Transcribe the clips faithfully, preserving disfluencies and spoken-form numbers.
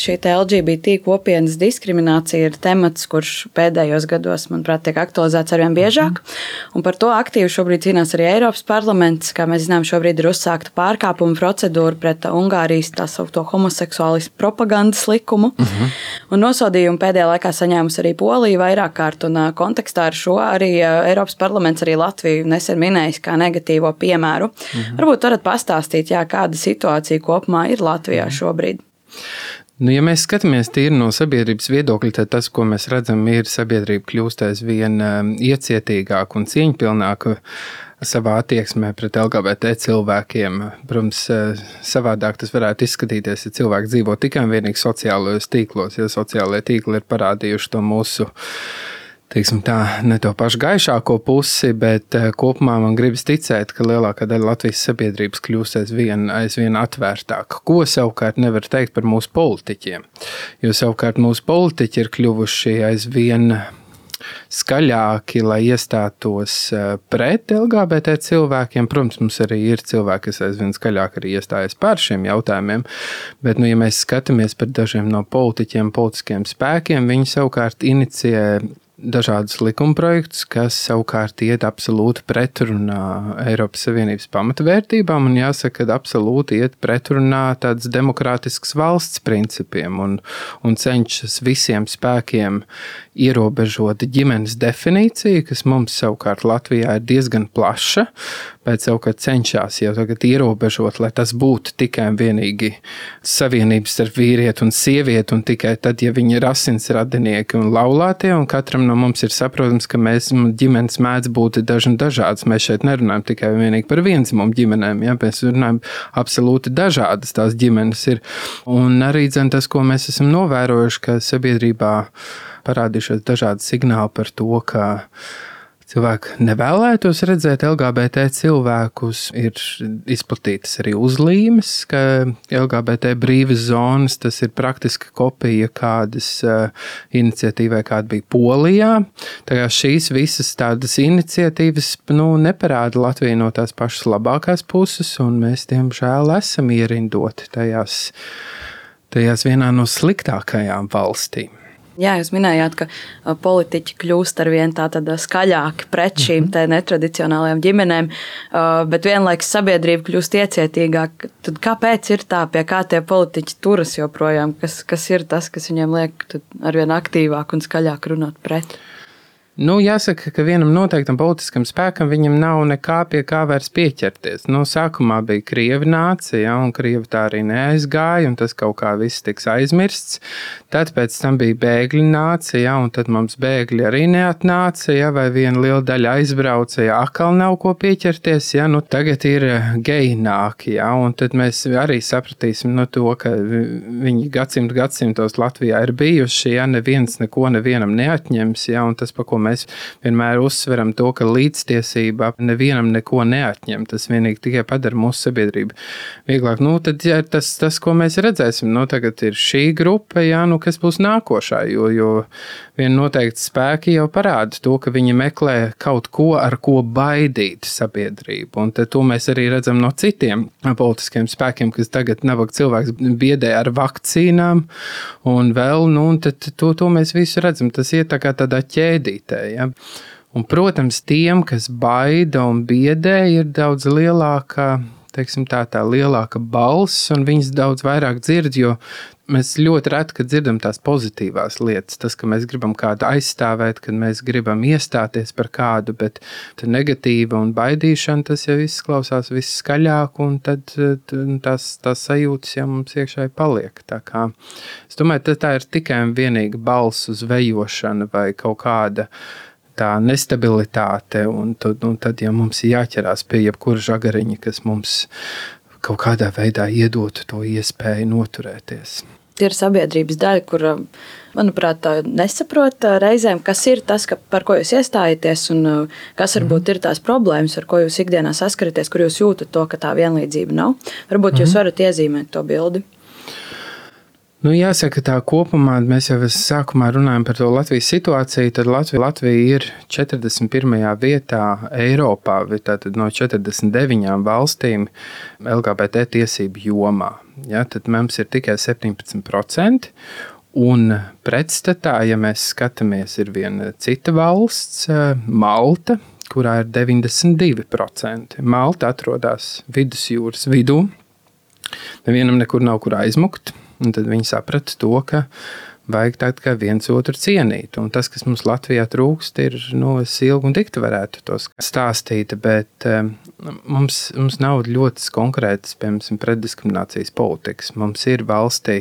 šī L G B T kopienas diskriminācija ir temats, kurš pēdējos gados, manuprāt, tiek aktualizēts arvien biežāk. Un par to aktīvi šobrīd cīnās arī Eiropas parlaments. Kā mēs zinām, šobrīd ir uzsākta pārkāpuma procedūra pret Ungārijas tā saukto homoseksuālismu propagandas likumu. Uh-huh. Un nosodījumu pēdējā laikā saņēmusi arī Polija vairāk kārt. Un kontekstā ar šo arī Eiropas parlaments arī Latviju nesen minējis kā negatīvo piemēru. Uh-huh. Varbūt varat pastāstīt, jā, kāda situācija kopumā ir Latvijā šobrīd. Nu, ja mēs skatāmies tīri no sabiedrības viedokļa, tad tas, ko mēs redzam, ir sabiedrība kļūst aizvien iecietīgāka un cieņpilnāka savā attieksmē pret L G B T cilvēkiem. Protams, savādāk tas varētu izskatīties, ja cilvēki dzīvo tikai un vienīgi sociālajos tīklos, ja sociālajie tīkli ir parādījuši to mūsu, teiksim tā, ne to pašu gaišāko pusi, bet kopumā man gribas ticēt, ka lielākā daļa Latvijas sabiedrības kļūst aizvien, aizvien atvērtāka. Ko savukārt nevar teikt par mūsu politiķiem? Jo savukārt mūsu politiķi ir kļuvuši aizvien skaļāki, lai iestātos pret L G B T cilvēkiem. Protams, mums arī ir cilvēki, kas aizvien skaļāk arī iestājas par šiem jautājumiem, bet, nu, ja mēs skatāmies par dažiem no politiķiem, politiskiem spēkiem, viņi savukārt inicijē dažādus likumprojektus, kas savukārt iet absolūti pretrunā Eiropas Savienības pamatvērtībām un jāsaka, ka absolūti iet pretrunā tādas demokrātiskas valsts principiem un, un cenšas visiem spēkiem ierobežot ģimenes definīciju, kas mums savukārt Latvijā ir diezgan plaša, bet savukārt cenšas jau tagad ierobežot, lai tas būtu tikai un vienīgi savienības starp vīrieti un sievieti un tikai tad, ja viņi ir asinsradinieki un laulātie, un katram no mums ir saprotams, ka mēs ģimenes mēdz būt daži un dažādas. Mēs šeit nerunājam tikai un vienīgi par vienzimumu ģimenēm, ja? Mēs runājam absolūti dažādas tās ģimenes ir. Un arī dzen tas, ko mēs esam novērojuši, ka sabiedrībā parādījušies dažādi signāli par to, ka cilvēki nevēlētos redzēt L G B T cilvēkus, ir izplatītas arī uzlīmes, ka L G B T brīvas zonas, tas ir praktiski kopija kādas uh, iniciatīvai, kāda bija Polijā. Tā kā šīs visas tādas iniciatīvas, nu, neparāda Latviju no tās pašas labākās puses, un mēs, diemžēl, esam ierindoti tajās, tajās vienā no sliktākajām valstīm. Jā, jūs minējāt, ka politiķi kļūst ar vien tā tad skaļāki pret šīm te netradicionālajām ģimenēm, bet vienlaikus sabiedrība kļūst iecietīgāk. Tad kāpēc ir tā, pie kā tie politiķi turas joprojām? Kas, kas ir tas, kas viņiem liek ar vien aktīvāk un skaļāk runāt pret? Nu, jāsaka, ka vienam noteiktam politiskam spēkam viņam nav nekā pie kā vairs pieķerties. Nu, sākumā bija Krievi nācija, ja, un Krievi tā arī neaizgāja, un tas kaut kā viss tiks aizmirsts. Tad pēc tam bija bēgļi nācija, ja, un tad mums bēgļi arī neatnāca, ja, vai viena liela daļa aizbrauca, ja atkal nav ko pieķerties. Ja, nu, tagad ir geji nāki, ja, un tad mēs arī sapratīsim no to, ka viņi gadsimtu gadsimtos Latvijā ir bijuši, ja neviens neko nevienam neatņems, ja, un tas, pa ko mēs vienmēr uzsveram to, ka līdztiesība nevienam neko neatņem. Tas vienīgi tikai padara mūsu sabiedrību vieglāk. Nu, tad ja, tas, tas, ko mēs redzēsim, nu, tagad ir šī grupa, jā, nu, kas būs nākošā, jo, jo vien noteikti spēki jau parāda to, ka viņi meklē kaut ko, ar ko baidīt sabiedrību. Un tad to mēs arī redzam no citiem politiskiem spēkiem, kas tagad nabaga cilvēks biedē ar vakcīnām, un vēl, nu, un tad to, to mēs visu redzam. Tas iet tā kā tādā ķēdītē. Ja? Un, protams, tiem, kas baida un biedē, ir daudz lielāka, teiksim tā, tā lielāka balss, un viņas daudz vairāk dzird, jo mēs ļoti reti, kad dzirdam tās pozitīvās lietas, tas, ka mēs gribam kādu aizstāvēt, kad mēs gribam iestāties par kādu, bet negatīva un baidīšana, tas jau izklausās viss skaļāk, un tad tās, tās sajūtas jau mums iekšā paliek. Tā kā, es domāju, tā ir tikai un vienīgi balss uz vejošana vai kaut kāda tā nestabilitāte, un tad, un tad ja mums ir jāķerās pie jebkura žagariņa, kas mums kaut kādā veidā iedotu to iespēju noturēties. Ir sabiedrības daļa, kur, manuprāt, nesaprot reizēm, kas ir tas, ka, par ko jūs iestājaties, un kas varbūt ir tās problēmas, ar ko jūs ikdienā saskaraties, kur jūs jūtat to, ka tā vienlīdzība nav. Varbūt jūs varat iezīmēt to bildi. Nu, jāsaka, tā kopumā mēs jau sākumā runājam par to Latvijas situāciju. Tad Latvija, Latvija ir četrdesmit pirmajā vietā Eiropā, tātad no četrdesmit deviņām valstīm L G B T tiesību jomā. Ja, tad mums ir tikai septiņpadsmit procenti. Un pretstatā, ja mēs skatāmies, ir viena cita valsts, Malta, kurā ir deviņdesmit divi procenti. Malta atrodas vidusjūras vidū. Nevienam nekur nav kur aizmukt. Un tad viņi saprata to, ka vajag tā kā viens otru cienīt. Un tas, kas mums Latvijā trūkst, ir, nu, es ilgi un dikti varētu to stāstīt, bet um, mums, mums nav ļoti konkrētas, piemēram, pretdiskriminācijas politikas. Mums ir valstī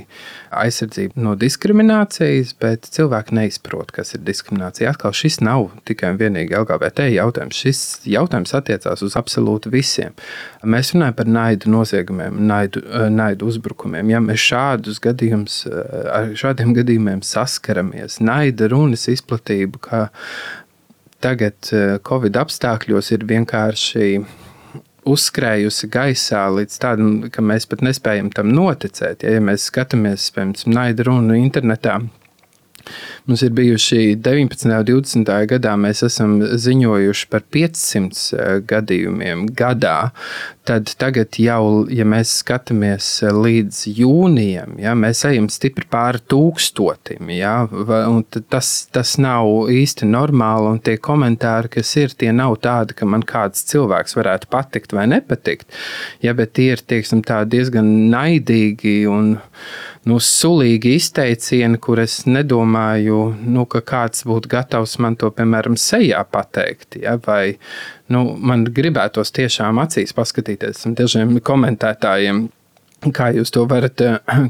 aizsardzība no diskriminācijas, bet cilvēki neizprot, kas ir diskriminācija. Atkal šis nav tikai un vienīgi L G B T jautājums. Šis jautājums attiecās uz absolūti visiem. Mēs runājam par naidu noziegumiem, naidu, naidu uzbrukumiem. Ja mēs šādus gadījumus, ar šādiem gadījumiem saskaramies, naida runas izplatību, ka tagad Covid apstākļos ir vienkārši uzskrējusi gaisā līdz tādam, ka mēs pat nespējam tam noticēt. Ja, ja mēs skatāmies, piemēram, naida runu internetā, mums ir bijuši deviņpadsmitajā un divdesmitajā gadā, mēs esam ziņojuši par piecsimt gadījumiem gadā. Tad tagad jau, ja mēs skatāmies līdz jūnijam, ja, mēs ejam stipri pāri tūkstotim. Ja, un tas, tas nav īsti normāli, un tie komentāri, kas ir, tie nav tādi, ka man kāds cilvēks varētu patikt vai nepatikt. Ja, bet tie ir, tieksim, tā diezgan naidīgi un nu, sulīgi izteicieni, kur es nedomāju, nu, ka kāds būtu gatavs man to, piemēram, sejā pateikt. Ja, vai nu, man gribētos tiešām acīs paskatīties dažiem komentētājiem, kā jūs to varat,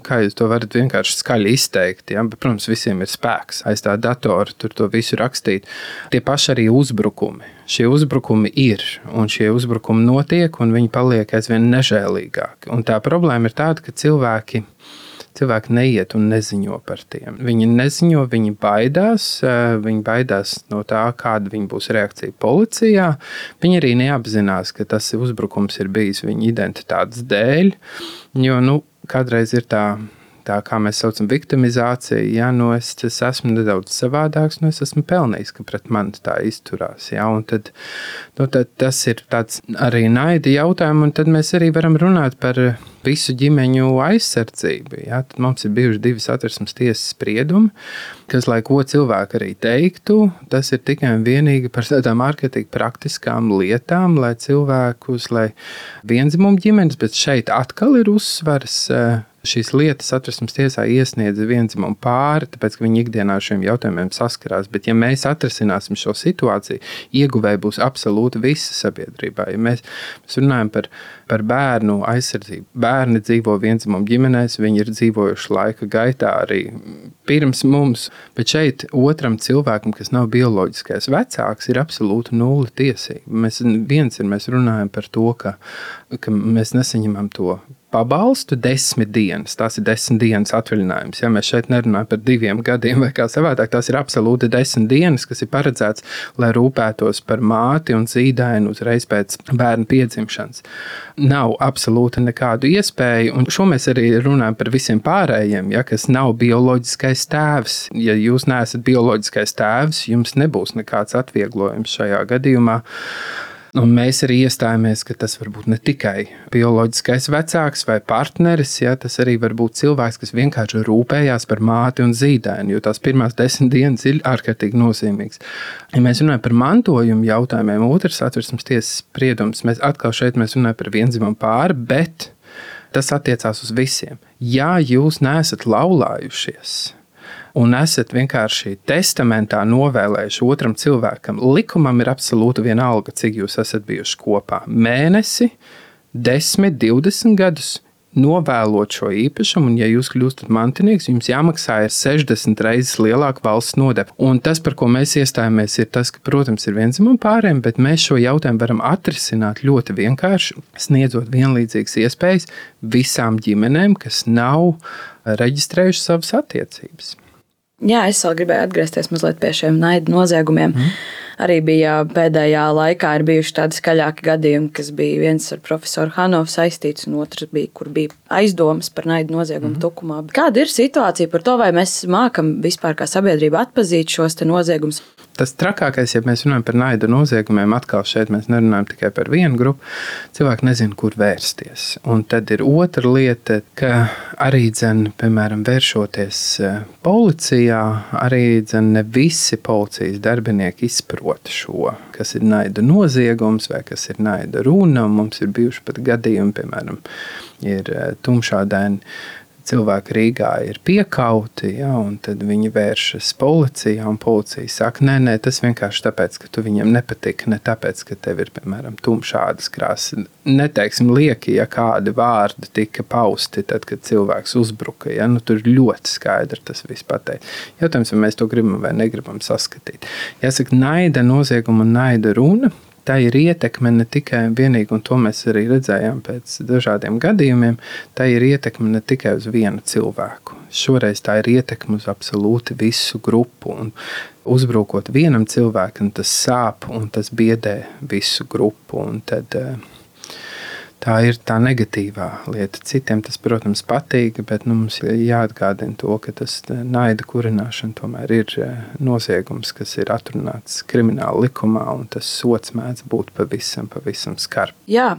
kā jūs to varat vienkārši skaļi izteikt. Ja? Bet, protams, visiem ir spēks aiz tā datora, tur to visu rakstīt. Tie paši arī uzbrukumi. Šie uzbrukumi ir, un šie uzbrukumi notiek, un viņi paliek aizvien nežēlīgāki. Un tā problēma ir tāda, ka cilvēki Cilvēki neiet un neziņo par tiem. Viņi neziņo, viņi baidās, viņi baidās no tā, kāda viņa būs reakcija policijā. Viņi arī neapzinās, ka tas uzbrukums ir bijis viņa identitātes dēļ, jo nu, kādreiz ir tā, tā, kā mēs saucam, viktimizācija. Ja, nu, es, es esmu nedaudz savādāks, nu, es esmu pelnījis, ka pret mani tā izturās. Ja, un tad, nu, tad tas ir tāds arī naida jautājums, un tad mēs arī varam runāt par visu ģimeņu aizsardzību. Ja? Tad mums ir bijuši divi satversmes tiesas spriedumi, kas, lai ko cilvēki arī teiktu, tas ir tikai un vienīgi par tādām ārkārtīgi praktiskām lietām, lai cilvēkus, lai viendzimumu ģimenes, bet šeit atkal ir uzsvars. Šīs lietas satversmes tiesā iesniedza viendzimumu pāri, tāpēc, ka viņi ikdienā ar šiem jautājumiem saskarās. Bet, ja mēs atrisināsim šo situāciju, ieguvēji būs absolūti visa sabiedrībā. Ja mēs, mēs runājam par, par bērnu aizsardzību. Bērni dzīvo viendzimumu ģimenēs, viņi ir dzīvojuši laika gaitā arī pirms mums, bet šeit otram cilvēkam, kas nav bioloģiskais vecāks, ir absolūti nulle tiesība. Mēs, viens ir, mēs runājam par to, ka, ka mēs nesaņemam to pabalstu desmit dienas. Tās ir desmit dienas atvaļinājums. Ja mēs šeit nerunājam par diviem gadiem vai kā savādāk, tās ir absolūti desmit dienas, kas ir paredzēts, lai rūpētos par māti un zīdaini uzreiz pēc bērna piedzimšanas. Nav absolūti nekādu iespēju, un šo mēs arī runājam par visiem pārējiem, ja, kas nav bioloģiskais tēvs. Ja jūs neesat bioloģiskais tēvs, jums nebūs nekāds atvieglojums šajā gadījumā. Un mēs arī iestājāmies, ka tas var būt ne tikai bioloģiskais vecāks vai partneris, ja, tas arī var būt cilvēks, kas vienkārši rūpējās par māti un zīdaini, jo tās pirmās desmit dienas ir ārkārtīgi nozīmīgs. Ja mēs runājam par mantojumu jautājumiem, otrs satversmes tiesas spriedums, mēs atkal šeit mēs runājam par viendzimumu pāri, bet tas attiecās uz visiem. Ja jūs neesat laulājušies un esat vienkārši testamentā novēlējuši otram cilvēkam, likumam ir absolūti vienalga, cik jūs esat bijuši kopā. Mēnesi, desmit, divdesmit gadus novēlot šo īpašumu, un ja jūs kļūstat mantinieks, jums jāmaksā ir sešdesmit reizes lielāka valsts nodeva. Un tas, par ko mēs iestājāmies, ir tas, ka, protams, ir viendzimumu pāriem, bet mēs šo jautājumu varam atrisināt ļoti vienkārši, sniedzot vienlīdzīgas iespējas visām ģimenēm, kas nav reģistrējuši savas attiecības. Jā, es vēl gribēju atgriezties mazliet pie šiem naida noziegumiem. Mm. Arī bija pēdējā laikā ir bijuši tādi skaļāki gadījumi, kas bija viens ar profesoru Hanovu saistīts, un otrs bija, kur bija aizdomas par naidu noziegumu mm-hmm. Tukumā. Kāda ir situācija par to, vai mēs mākam vispār kā sabiedrība atpazīt šos te noziegumus? Tas trakākais, ja mēs runājam par naidu noziegumiem, atkal šeit mēs nerunājam tikai par vienu grupu, cilvēki nezina, kur vērsties. Un tad ir otra lieta, ka arī, dzen, piemēram, vēršoties policijā, arī dzen, ne visi policijas darbinieki izprot šo, kas ir naida noziegums vai kas ir naida runa. Mums ir bijuši pat gadījumi, piemēram, ir tumšādaini cilvēki Rīgā ir piekauti, ja, un tad viņi vēršas policijā, un policija saka, nē, nē, tas vienkārši tāpēc, ka tu viņam nepatika, ne tāpēc, ka tev ir, piemēram, tumšādas krāsas. Neteiksim lieki, ja kādi vārdi tika pausti, tad, kad cilvēks uzbruka, ja, nu tur ļoti skaidri tas viss pateikt. Jautājums, vai mēs to gribam vai negribam saskatīt. Jāsaka, naida nozieguma un naida runa, tā ir ietekme ne tikai vienīgi, un to mēs arī redzējām pēc dažādiem gadījumiem, tā ir ietekme ne tikai uz vienu cilvēku. Šoreiz tā ir ietekme uz absolūti visu grupu, un uzbrukot vienam cilvēkam, tas sāp un tas biedē visu grupu, un tad tā ir tā negatīvā lieta. Citiem tas, protams, patīk, bet nu, mums jāatgādina to, ka tas naida kurināšana tomēr ir noziegums, kas ir atrunāts krimināla likumā, un tas sots mēdz būt pavisam, pavisam skarbi. Jā,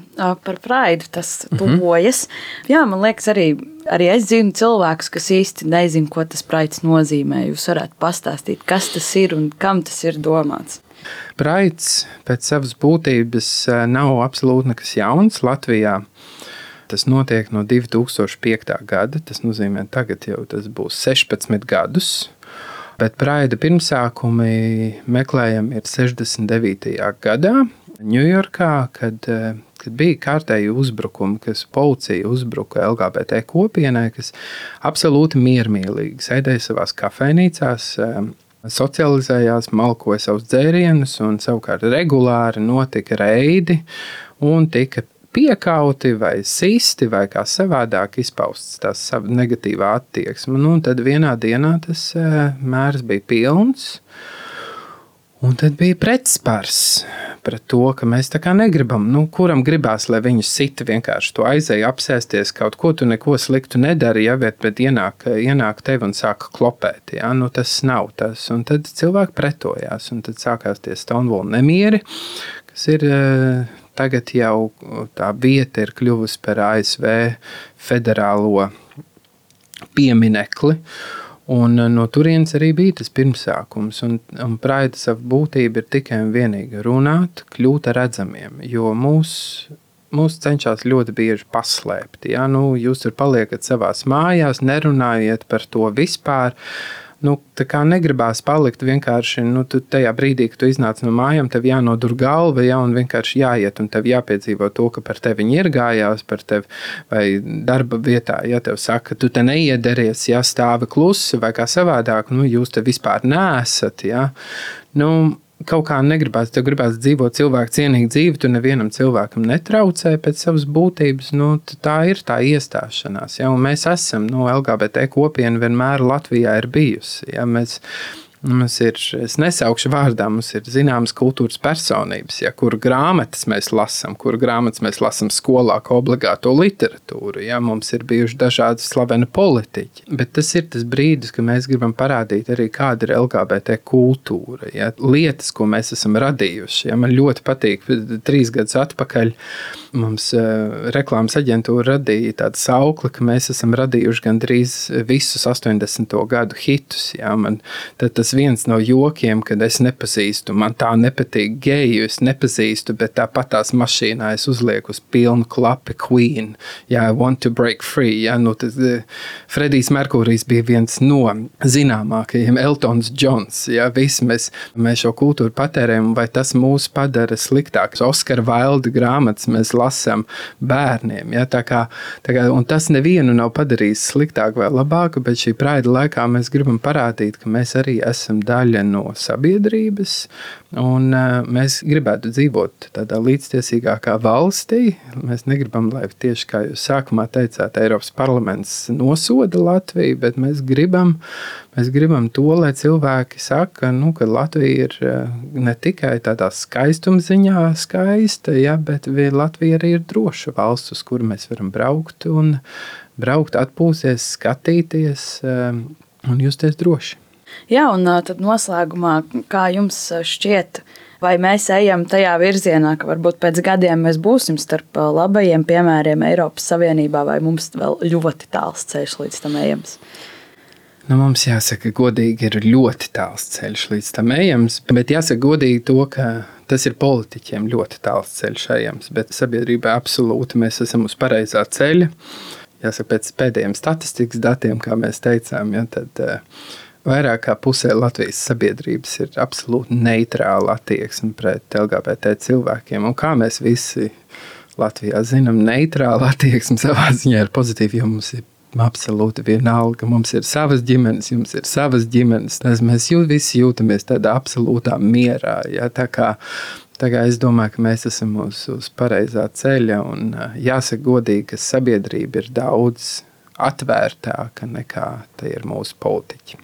par praidu tas tuvojas. Mm-hmm. Jā, man liekas arī, arī es zinu cilvēkus, kas īsti nezinu, ko tas praids nozīmē. Jūs varētu pastāstīt, kas tas ir un kam tas ir domāts. Praids pēc savas būtības nav absolūti nekas jauns Latvijā. Tas notiek no divi tūkstoši piektā gada, tas nozīmē tagad jau tas būs sešpadsmit gadus, bet praida pirmsākumi meklējami ir sešdesmit devītajā gadā Ņujorkā, kad, kad bija kārtēji uzbrukumi, kas policija uzbruka L G B T kopienai, kas absolūti miermīlīgi sēdēja savās kafejnīcās, socializējās, malkoja savus dzērienus, un savukārt regulāri notika reidi un tika piekauti vai sisti vai kā savādāk izpausts tās negatīvā attieksme. Nu, un tad vienā dienā tas mērs bija pilns, un tad bija pretspars pret to, ka mēs tā kā negribam, nu, kuram gribās, lai viņu sita vienkārši to aizēja apsēsties, kaut ko tu neko sliktu nedari, ja, bet, bet ienāk, ienāk tevi un sāka klopēt, ja, nu tas nav tas, un tad cilvēki pretojās, un tad sākās tie Stonewall nemieri, kas ir tagad jau tā vieta ir kļuvusi par A S V federālo pieminekli, un no turienes arī bija tas pirmsākums, un, un praida savu būtību ir tikai un vienīgi runāt, kļūt redzamiem, jo mūs, mūs cenšas ļoti bieži paslēpt. Ja? Nu, jūs tur paliekat savās mājās, nerunājiet par to vispār, nu, tā kā negribās palikt vienkārši, nu, tu tajā brīdī, kad tu iznāc no mājām, tev jānodur galva, ja, un vienkārši jāiet, un tev jāpiedzīvo to, ka par tevi iergājās, par tevi, vai darba vietā, ja tev saka, tu te neiederties, ja stāvi klusi, vai kā savādāk, nu, jūs te vispār neesat, ja, nu, kaut kā negribās, tev gribās dzīvot cilvēku cienīgu dzīvi, tu nevienam cilvēkam netraucē pēc savas būtības, nu, tā ir tā iestāšanās, ja, un mēs esam, nu, L G B T kopiena vienmēr Latvijā ir bijusi, ja, mēs, mums ir, es nesaukšu vārdā, mums ir zināmas kultūras personības, ja, kur grāmatas mēs lasam, kur grāmatas mēs lasam skolā kā obligāto literatūru, ja, mums ir bijuši dažādi slaveni politiķi, bet tas ir tas brīdis, ka mēs gribam parādīt arī, kāda ir L G B T kultūra, ja, lietas, ko mēs esam radījuši, ja, man ļoti patīk, trīs gadus atpakaļ mums uh, reklāmas aģentūra radīja tādu saukli, ka mēs esam radījuši gandrīz visus astoņdesmito gadu hitus, ja, man tad tas viens no jokiem, kad es nepazīstu, man tā nepatīk geju, es nepazīstu, bet tāpat tās mašīnā es uzlieku uz pilnu klapi Queen, ja, I want to break free, ja, nu, tas, Fredijs Merkurijs bija viens no zināmākajiem, Eltons Džons, ja, visi mēs, mēs šo kultūru patērējam, vai tas mūs padara sliktāks. Oskar Vailda grāmatas mēs lasām bērniem, ja, tā kā, tā kā, un tas nevienu nav padarījis sliktāk vai labāk, bet šī praida laikā mēs gribam parādīt, ka mēs arī esam esam daļa no sabiedrības, un mēs gribētu dzīvot tādā līdztiesīgākā valstī. Mēs negribam, lai tieši kā jūs sākumā teicāt, Eiropas parlaments nosoda Latviju, bet mēs gribam, mēs gribam to, lai cilvēki saka, nu, ka Latvija ir ne tikai tādā skaistumziņā skaista, ja, bet Latvija arī ir droša valsts, uz kuru mēs varam braukt un braukt, atpūsties, skatīties un justies droši. Jā, un tad noslēgumā, kā jums šķiet, vai mēs ejam tajā virzienā, ka varbūt pēc gadiem mēs būsim starp labajiem piemēriem Eiropas Savienībā, vai mums vēl ļoti tāls ceļš līdz tam ejams? Nu, mums jāsaka godīgi, ir ļoti tāls ceļš līdz tam ejams, bet jāsaka godīgi to, ka tas ir politiķiem ļoti tāls ceļš ejams, bet sabiedrībā absolūti mēs esam uz pareizā ceļa. Jāsaka, pēc pēdējiem statistikas datiem, kā mēs teicām, ja, tad uh, vairāk kā pusē Latvijas sabiedrības ir absolūti neitrāla attieksme pret L G B T cilvēkiem. Un kā mēs visi Latvijā zinām, neitrāla attieksme savā ziņā ir pozitīva, jo mums ir absolūti vienalga. Mums ir savas ģimenes, jums ir savas ģimenes. Tas mēs jū, visi jūtamies tādā absolūtā mierā. Ja, tā kā Tā kā es domāju, ka mēs esam uz, uz pareizā ceļa, un jāsaka godīgi, ka sabiedrība ir daudz atvērtāka nekā tie ir mūsu politiķi.